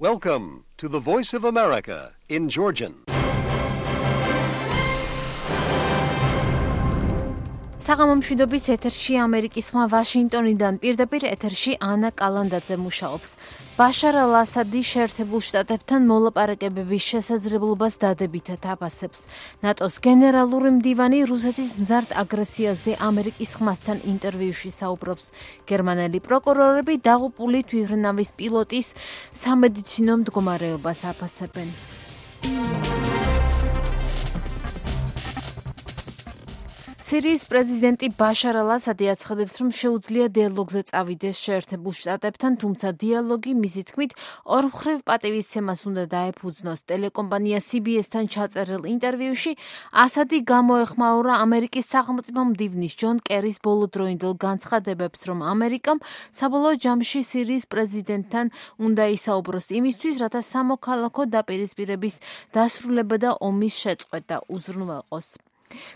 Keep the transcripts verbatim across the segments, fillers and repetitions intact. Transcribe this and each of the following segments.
Welcome to the Voice of America in Georgian. საღამომშვიდობის ეთერში ამერიკის ხმა ვაშინგტონიდან პირდაპირ ეთერში ანა კალანდაძე მუშაობს. ბაშარ ალ-ასადი შეერთებულ შტატებთან მოლაპარაკებების შესაძლებლობას დადებითად აფასებს. ნატოს გენერალური მდივანი რუსეთის მზარდ აგრესიაზე ამერიკის ხმასთან ინტერვიუში საუბრობს. გერმანელი პროკურორები დაღუპული თვითმფრინავის პილოტის სამედიცინო მდგომარეობას აფასებენ. სირიის პრეზიდენტი ბაშარ ალ-ასადი აცხადებს, რომ შეუძლია დიალოგზე წავიდეს შეერთებულ შტატებთან, თუმცა დიალოგი მისი თქმით ორმხრივ პატივისცემას უნდა დაეფუძნოს. ტელეკომპანია სი ბი ეს-თან ჩაწერილ ინტერვიუში ასადი გამოეხმაურა ამერიკის სახელმწიფო მდივნის ჯონ კერის ბოლოდროინდელ განცხადებებს, რომ ამერიკამ საბოლოო ჯამში სირიის პრეზიდენტთან უნდა ისაუბროს იმისთვის, რათა სამოქალაქო დაპირისპირების დასრულება და ომის შეწყვეტა უზრუნველყოს.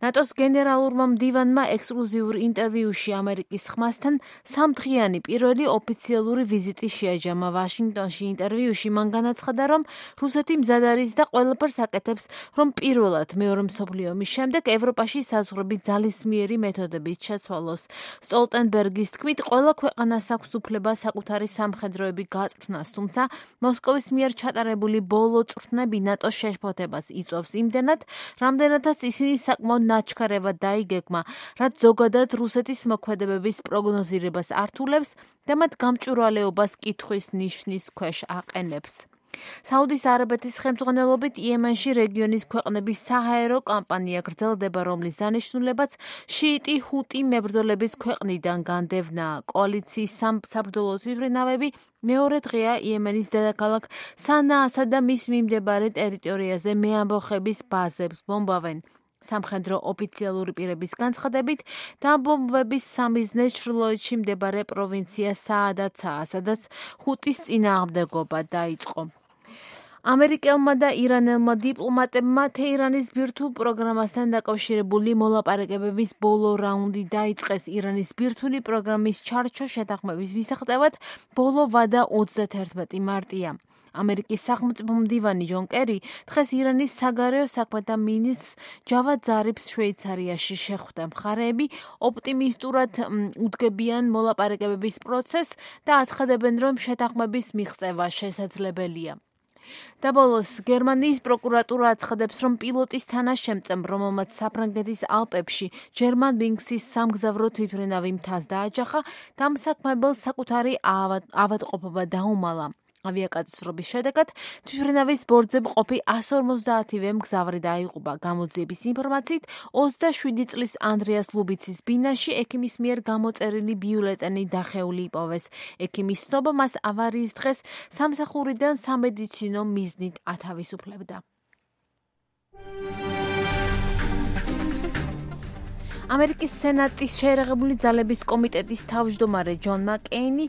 ნატოს გენერალურმა მდივანმა ექსკლუზიურ ინტერვიუში ამერიკის ხმასთან სამდღიანი პირველი ოფიციალური ვიზიტი შეაჯამა ვაშინგტონში. ინტერვიუში მან განაცხადა, რომ რუსეთი მზად არის და ყველაფერს აკეთებს, რომ პირველად მეორე მსოფლიო ომის შემდეგ ევროპაში საზღვრები ძალისმიერი მეთოდებით შეცვალოს. სტოლტენბერგის თქმით, ყველა ქვეყანას აქვს უფლება საკუთარი სამხედროები გაწვრთნას, თუმცა მოსკოვის მიერ ჩატარებული ბოლო წვრთნები ნატოს შეშფოთებას იწვევს იმდენად, რამდენადაც ისინი საკმაოდ ნაჩქარევად დაიგეგმა, რაც ზოგადად რუსეთის მოქმედებების პროგნოზირებას ართულებს და მათ გამჭვირვალეობას კითხვის ნიშნის ქვეშ აყენებს. საუდის არაბეთის ხელმძღვანელობით იემენში რეგიონის ქვეყნების საჰაერო კამპანია გრძელდება, რომლის დანიშნულებაც შიიტი ჰუტი მებრძოლების ქვეყნიდან განდევნაა. კოალიციის საბრძოლო თვითმფრინავები მეორე დღეა იემენის დედაქალაქ სანაასა და მის მიმდებარე ტერიტორიაზე მეამბოხების ბაზებს ბომბავენ. სამხედრო ოფიციალური პირების განცხადებით, დამბომბვების სამიზნე ჩრდილოეთში მდებარე პროვინცია საადათაა, სადაც ჰუტის წინააღმდეგობა დაიწყო. ამერიკელმა და ირანელმა დიპლომატებმა თეირანის ბირთვულ პროგრამასთან დაკავშირებული მოლაპარაკებების ბოლო რაუნდი დაიწყეს. ირანის ბირთვული პროგრამის ჩარჩოს შეთანხმების მისაღწევად ბოლო ვადა ოცდაათერთმეტი მარტია. ამერიკის სახელმწიფო მდივანი ჯონ კერი დღეს ირანის საგარეო საქმეთა მინისტრს ჯავად ზარიფს შვეიცარიაში შეხვდა. მხარეები ოპტიმისტურად უდგებიან მოლაპარაკებების პროცესს და აცხადებენ, რომ შეთანხმების მიღწევა შესაძლებელია. და ბოლოს გერმანიის პროკურატურა აცხადებს, რომ პილოტის თანაშემწემ, რომელმაც საფრანგეთის ალპებში ჯერმანვინგსის სამგზავრო თვითმფრინავი მთას დააჯახა, დამსაქმებელს საკუთარი ავადმყოფობა დაუმალა. ავიაკატასტროფის შედეგად თვითმფრინავის ბორცზე მყოფი εκατს ორმოცდაათივე მგზავრი დაიღუპა. გამოძიების ინფორმაციით ოცდაშვიდი წლის ანდრეას ლუბიცის ბინაში ექიმის მიერ გამოწერილი ბიულეტენი დახეული იპოვეს. ექიმის ცნობა მას ავარიის დღეს სამსახურიდან სამედიცინო მიზნით ათავისუფლებდა. ამერიკის სენატის შეერაღებული ძალების კომიტეტის თავმჯდომარე ჯონ მაკეინი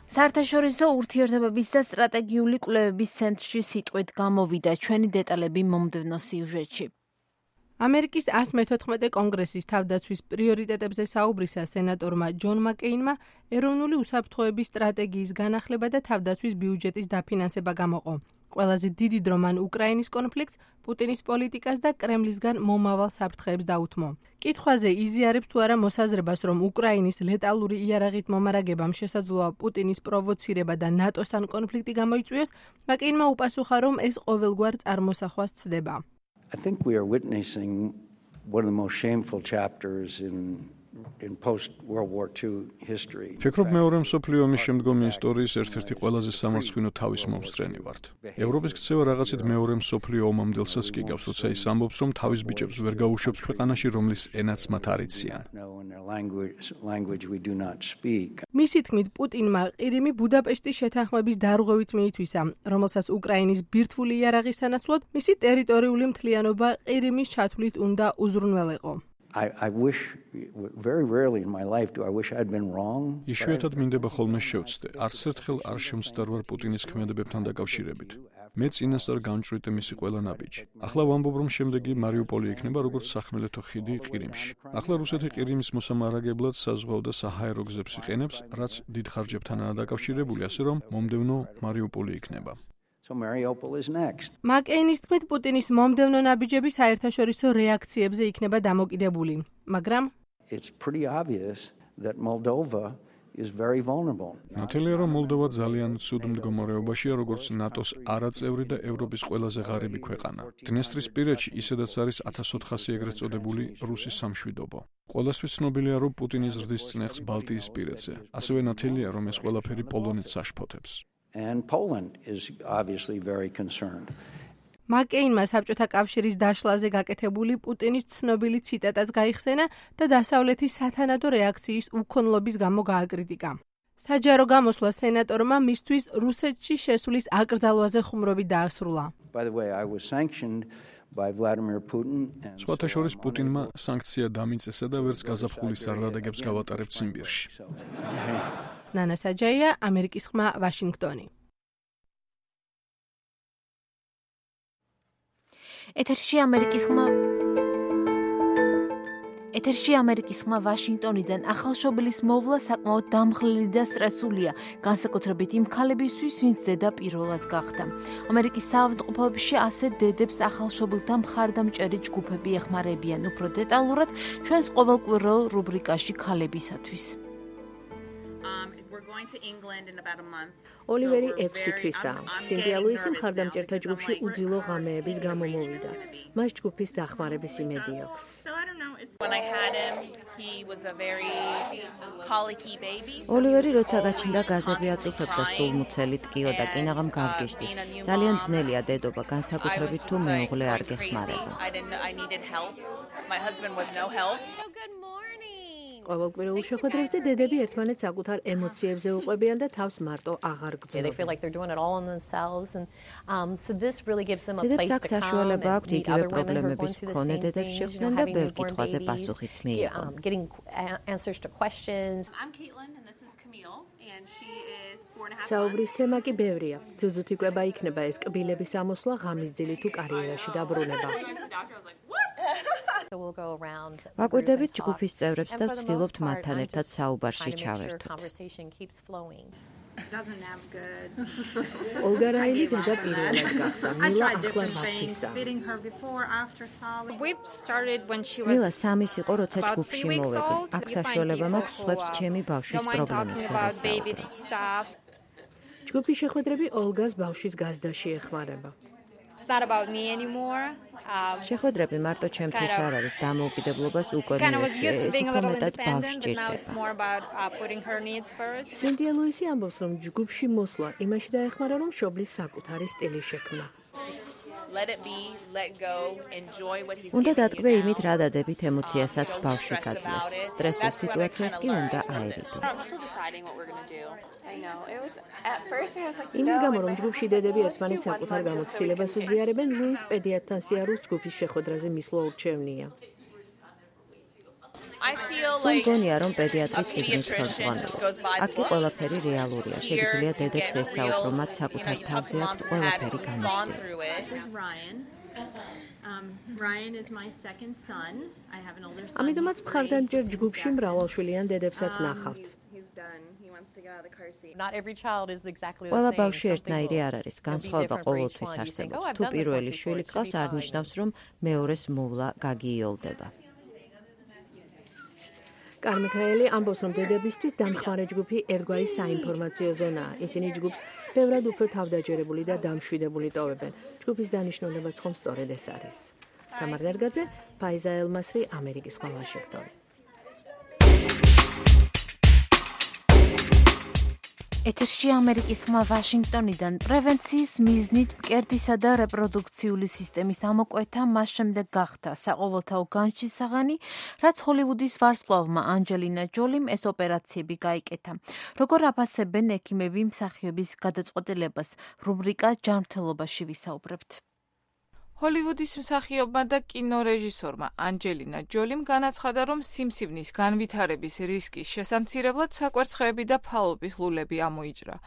საერთაშორისო ურთიერთობების და სტრატეგიული კვლევების ცენტრში სიტყვით გამოვიდა. ჩვენი დეტალები მომდევნო სიუჟეტში. ამერიკის εκατს მეთოთხმეტე კონგრესის თავდაცვის პრიორიტეტებზე საუბრისა სენატორმა ჯონ მაკეინმა ეროვნული უსაფრთხოების სტრატეგიის განახლება და თავდაცვის ბიუჯეტის დაფინანსება გამოყო. ყველაზე დიდი დრო მან უკრაინის კონფლიქტს, პუტინის პოლიტიკას და კრემლისგან მომავალ საფრთხეებს დაუთმო. კითხვაზე იზიარებს თუ არა მოსაზრებას, რომ უკრაინის ლეტალური იარაღით მომარაგებამ შესაძლოა პუტინის პროვოცირება და ნატოსთან კონფლიქტი გამოიწვიოს, მაკეინმა უპასუხა, რომ ეს ყოველგვარ წარმოსახვას ცდება. I think we are witnessing one of the most shameful chapters in in post World War Two history. ფიქრობ მეორე მსოფლიო ომის შემდგომი ისტორიის ერთ-ერთი ყველაზე სამარცხვინო თავის მომსწრენი ვართ. ევროპის ქცევა რაღაცით მეორე მსოფლიო ომამდელსაც კი გავს, როცა ის ამბობს, რომ თავის ბიჭებს ვერ გაუშვებს ქვეყანაში, რომლის ენაც მათ არ იციან. მისი თქმით, პუტინმა ყირიმი ბუდაპეშტის შეთანხმების დარღვევით მიითვისა, რომელსაც უკრაინის ბირთვული იარაღის სანაცვლოდ მისი ტერიტორიული მთლიანობა ყირიმის ჩათვლით უნდა უზრუნველეყო. I, I wish very rarely in my life do I wish I'd been wrong. იშვიათად მინდება ხოლმე შევცდე. არც ერთხელ არ შემცდარ ვარ პუტინის ქმედებებთან დაკავშირებით. მე წინასწარ გამჭვირდი მისი ყველა ნაბიჯი. ახლა ვამბობ, რომ შემდეგი მარიუპოლი იქნება როგორც სახმელეთო ხიდი ყირიმში. ახლა რუსეთი ყირიმის მოსამარაგებლად საზღვაო და საჰაერო გზებს იყენებს, რაც დიდ ხარჯებთანაა დაკავშირებული, ასე რომ მომდევნო მარიუპოლი იქნება. So Mariupol is next. მაკეინის თქმით, პუტინის მომდევნო ნაბიჯები საერთაშორისო რეაქციებზე იქნება დამოკიდებული, მაგრამ It's pretty obvious that Moldova is very vulnerable. ნათელია, რომ მოლდოვა ძალიან ცუდ მდგომარეობაშია, როგორც ნატოს არაწევრი და ევროპის ყველაზე ღარიბი ქვეყანა. დნესტრისპირეთში ისედაც არის ათას ოთხასი ეგრეთ წოდებული რუსის სამშვიდობო. ყველასთვის ცნობილია, რომ პუტინი ზრდის წნეხს ბალტიისპირეთზე. ასევე ნათელია, რომ ეს ყველაფერი პოლონეთს აშფოთებს. And Poland is obviously very concerned. მაკეინმა საბჭოთა კავშირის დაშლაზე გაკეთებული პუტინის ცნობილი ციტატაც გაიხსენა და დასავლეთის სათანადო რეაქციის უქონლობის გამო გააკრიტიკა. საჯარო გამოსვლა სენატორმა მისთვის რუსეთში შესვლის აკრძალვაზე ხუმრობით დაასრულა. By the way, I was sanctioned by Vladimir Putin. სხვათა შორის პუტინმა სანქცია დამიწესა და ვერც გაზაფხულის სარდაგებს გავატარებთ ციმბირში. ნანა საჯაია, ამერიკის ხმა, ვაშინგტონი. ეთერში ამერიკის ხმა ეთერში ამერიკის ხმა ვაშინგტონიდან ახალშობილის მოვლა საკმაოდ დამხლელი და სტრესულია, განსაკუთრებით იმ ქალებისთვის, ვინც ზედა პირველად გახდა. ამერიკის საავადმყოფოებში ასე დედებს ახალშობილთა მხარდამჭერი ჯგუფები ეხმარებიან. უფრო დეტალურად ჩვენს ყოველკვირეულ რუბრიკაში ქალებისათვის. ოლივერი ექვსი თვისაა. სინდია ლუისი მხარდამჭერთა ჯგუფში უძილო ღამეების გამო მოვიდა. მას ჯგუფის დახმარების იმედი აქვს. ოლივერი როცა გაჩნდა გაზები აწუხებდა სულმუცელი ტკიო და კინაღამ გავგეშდი. ძალიან ძნელია დედობა, განსაკუთრებით თუ მეუღლე არ გეხმარება. ყოველკვირეულ შეხვედრებზე დედები ერთმანეთს საკუთარ ემოციებზე უყვებიან და თავს მარტო აღარ გრძნობენ. დედებს აქ საშუალება აქვთ იგივე პრობლემების მქონე დედებს შეხვდნენ და ბევრ კითხვაზე პასუხიც მიიღონ. საუბრის თემა კი ბევრია. ძუძუთ იკვება იქნება ეს კბილების ამოსვლა ღამის ძილი თუ კარიერაში დაბრუნება. ვაკვირდებით ჯგუფის წევრებს და ვცდილობთ მათთან ერთად საუბარში ჩავერთოთ. ოლგა რაილი დედა პირველად გახდა. მილა ახლა მათვისა. მილა სამის იყო, როცა ჯგუფში მოვედი. აქ საშუალება მაქვს სხვებს ჩემი ბავშვის პრობლემებზე ვასაუბროთ. ჯგუფის შეხვედრები ოლგას ბავშვის გაზდაში ეხმარება. შეხვედრები მარტო ჩემთვის არ არის, დამოუკიდებლობას უკვე მიეცია, ეს უფრო მეტად ბავშვს ჭირდება. სინდია ლუისი ამბობს, რომ ჯგუფში მოსვლა იმაში დაეხმარა, რომ მშობლის საკუთარი სტილი შექმნა. უნდა დატკბე იმით, რა დადებით ემოციასაც ბავშვი გაძლევს. სტრესულ სიტუაციას კი უნდა აერიდო. იმის გამო, რომ ჯგუფში დედები ერთმანეთს საკუთარ გამოცდილებას უზიარებენ, ლუის პედიატრთან სიარულს ჯგუფის შეხვედრაზე მისვლა ურჩევნია. სულ მგონია, რომ პედიატრი წიგნით ხელმძღვანელობს. აქ კი ყველაფერი რეალურია. შეგიძლია დედებს ესაუბრო, მათ საკუთარ თავზე აქვთ ყველაფერი განიცდილი. ამიტომაც მხარდამჭერ ჯგუფში მრავალშვილიან დედებსაც ნახავთ. ყველა ბავშვი ერთნაირი არ არის, განსხვავება ყოველთვის არსებობს. თუ პირველი შვილი გყავს, არ ნიშნავს, რომ მეორეს მოვლა გაგიიოლდება. კარმიქაელი ამბობს, რომ დედებისთვის დამხმარე ჯგუფი ერთგვარი საინფორმაციო ზონაა. ისინი ჯგუფს ბევრად უფრო თავდაჯერებული და დამშვიდებული ტოვებენ. ჯგუფის დანიშნულებაც ხომ სწორედ ეს არის. თამარ ნერგაძე, ფაიზა ელმასრი, ამერიკის ხმა, ვაშინგტონი. ეთერში ამერიკის ხმა ვაშინგტონიდან პრევენციის მიზნით მკერდისა და რეპროდუქციული სისტემის ამოკვეთა მას შემდეგ გახდა საყოველთაო განშისაღანი, რაც ჰოლივუდის ვარსკვლავმა ანჯელინა ჯოლიმ ეს ოპერაციები გაიკეთა. როგორ აფასებენ ექიმები მსახიობის გადაწყვეტილებას, რუბრიკა ჯანმრთელობაში ვისაუბრებთ. ჰოლივუდის მსახიობმა და კინორეჟისორმა ანჯელინა ჯოლიმ განაცხადა, რომ სიმსივნის განვითარების რისკის შესამცირებლად საკვერცხეები და ფალობის ლულები ამოიჭრა.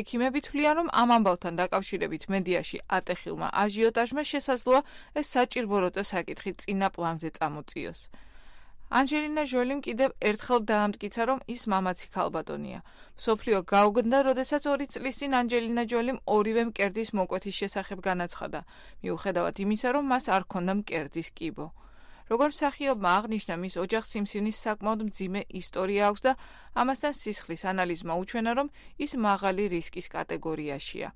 ექიმები თვლიან, რომ ამ ამბავთან დაკავშირებით მედიაში ატეხილმა აჟიოტაჟმა შესაძლოა ეს საჭირბოროტო საკითხი წინა პლანზე წამოწიოს. ანჯელინა ჟოლიმ კიდევ ერთხელ დაამტკიცა, რომ ის მამაცი ქალბატონია. მსოფლიო გაუგნდა, როდესაც ორი წლის წინ ანჯელინა ჟოლიმ ორივე მკერდის მოკვეთის შესახებ განაცხადა, მიუხედავად იმისა, რომ მას არ ჰქონდა მკერდის კიბო. როგორც მსახიობმა აღნიშნა, მის ოჯახს სიმსივნის საკმაოდ მძიმე ისტორია აქვს და ამასთან სისხლის ანალიზმა უჩვენა, რომ ის მაღალი რისკის კატეგორიაშია.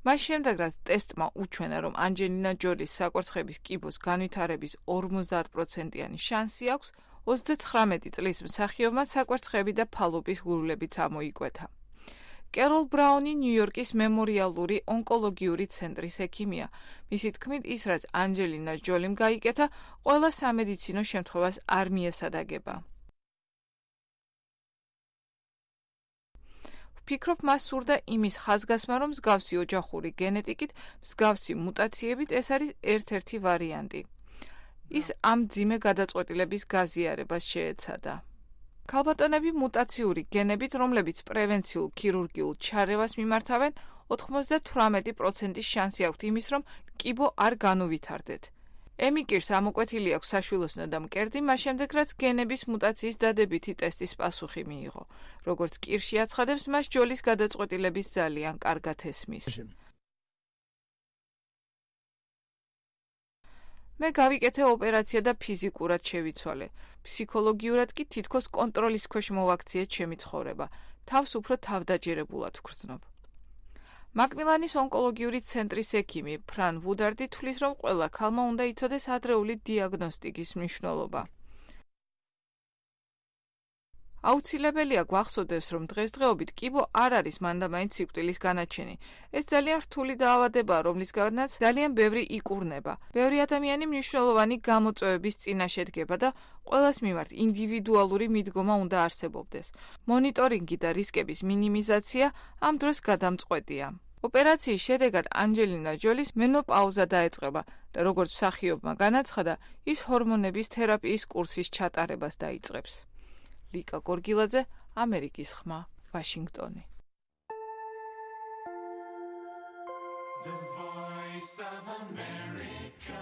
მას შემდეგ, რაც ტესტმა უჩვენა, რომ ანჯელინა ჯოლის საკვერცხების კიბოს განვითარების ორმოცდაათ პროცენტიანი შანსი აქვს, ოცდაცხრამეტი წლის მსახიობმა საკვერცხები და ფალობის ღრულებიც ამოიკვეთა. კეროლ ბრაუნი ნიუ-იორკის მემორიალური ონკოლოგიური ცენტრის ექიმია. მისი თქმით, ის რაც ანჯელინა ჯოლიმ გაიკეთა, ყველა სამედიცინო შემთხვევას არ მიესადაგება. ვფიქრობ, მას სურდა იმის ხაზგასმა, რომ მსგავსი ოჯახური გენეტიკით, მსგავსი მუტაციებით ეს არის ერთ-ერთი ვარიანტი. ის ამ მძიმე გადაწყვეტილების გაზიარებას შეეცადა. ქალბატონები მუტაციური გენებით, რომლებიც პრევენციულ ქირურგიულ ჩარევას მიმართავენ, ოცდათვრამეტი პროცენტის შანსი აქვთ იმის, რომ კიბო არ განუვითარდეთ. ემიკირს ამოკვეთილი აქვს საშვილოსნო და მკერდი, მას შემდეგ, რაც გენების მუტაციის დადებითი ტესტის პასუხი მიიღო. როგორც კირში აცხადებს, მას ჯოლის გადაწყვეტილების ძალიან კარგად ესმის. მე გავიკეთე ოპერაცია და ფიზიკურად შევიცვალე. ფსიქოლოგიურად კი თითქოს კონტროლის ქვეშ მოვაქციე ჩემი ცხოვრება. თავს უფრო თავდაჯერებულად ვგრძნობ. მაკმილანის ონკოლოგიური ცენტრის ექიმი ფრან ვუდარდი თვლის, რომ ყველა ქალმა უნდა იცოდეს ადრეული დიაგნოსტიკის მნიშვნელობა. აუცილებელია გვახსოვდეს, რომ დღესდღეობით კიბო არ არის მანდამაინც სიკვდილის განაჩენი. ეს ძალიან რთული დაავადებაა, რომლისგანაც ძალიან ბევრი იკურნება. ბევრი ადამიანი მნიშვნელოვანი გამოწვევების წინაშე დგება და ყველას მიმართ ინდივიდუალური მიდგომა უნდა არსებობდეს. მონიტორინგი და რისკების მინიმიზაცია ამ დროს გადამწყვეტია. ოპერაციის შედეგად ანჯელინა ჯოლის მენოპაუზა დაეწყება და როგორც მსახიობმა განაცხადა, ის ჰორმონების თერაპიის კურსის ჩატარებას დაიწყებს. ლიკა გორგილაძე, ამერიკის ხმა, ვაშინგტონი. The Voice of America.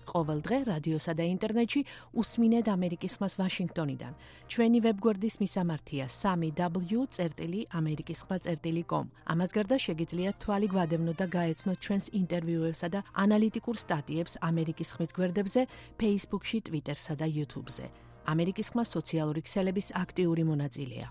ყოველ დღე რადიოსა და ინტერნეტში უსმინეთ ამერიკის ხმას ვაშინგტონიდან. ჩვენი ვებგვერდის მისამართია სამი დაბლიუ წერტილი ამერიკის ხმა წერტილი კომ. ამას გარდა შეგიძლიათ თვალი გვადევნოთ და გაეცნოთ ჩვენს ინტერვიუებსა და ანალიტიკურ სტატიებს ამერიკის ხმის გვერდებზე, Facebook-ში, Twitter-სა და YouTube-ზე. ამერიკის ხმა სოციალური ქსელების აქტიური მონაწილეა.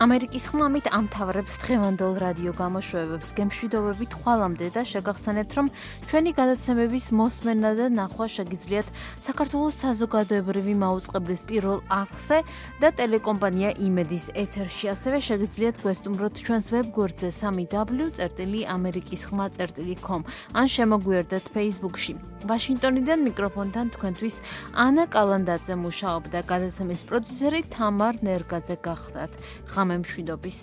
ამერიკის ხმამით ამთავრებს დღევანდელ რადიო გამოშვებებს. გემშვიდობებით ხვალამდე და შეგახსენებთ, რომ ჩვენი გადაცემების მოსმენა და ნახვა შეგიძლიათ საქართველოს საზოგადოებრივი მაუწყებლის პირველ არხზე და ტელეკომპანია იმედის ეთერში. ასევე შეგიძლიათ გვესტუმროთ ჩვენს ვებგვერდზე სამი დაბლიუ წერტილი ამერიკის ხმა წერტილი კომ ან შემოგვიერთდეთ Facebook-ში. ვაშინგტონიდან მიკროფონთან თქვენთვის ანა კალანდაძე მუშაობდა, გადაცემის პროდიუსერი თამარ ნერგაძე გახდათ. მშვიდობის.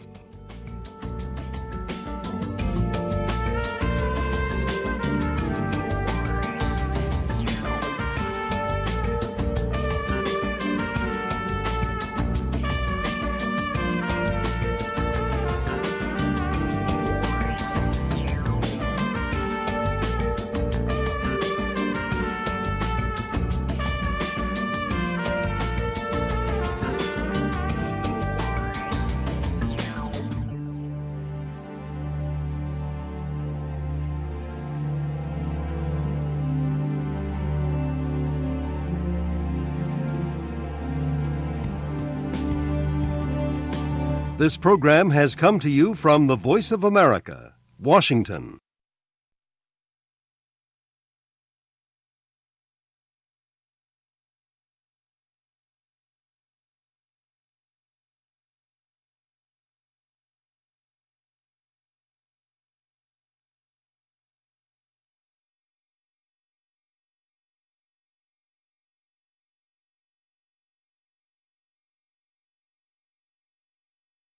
This program has come to you from the Voice of America, Washington.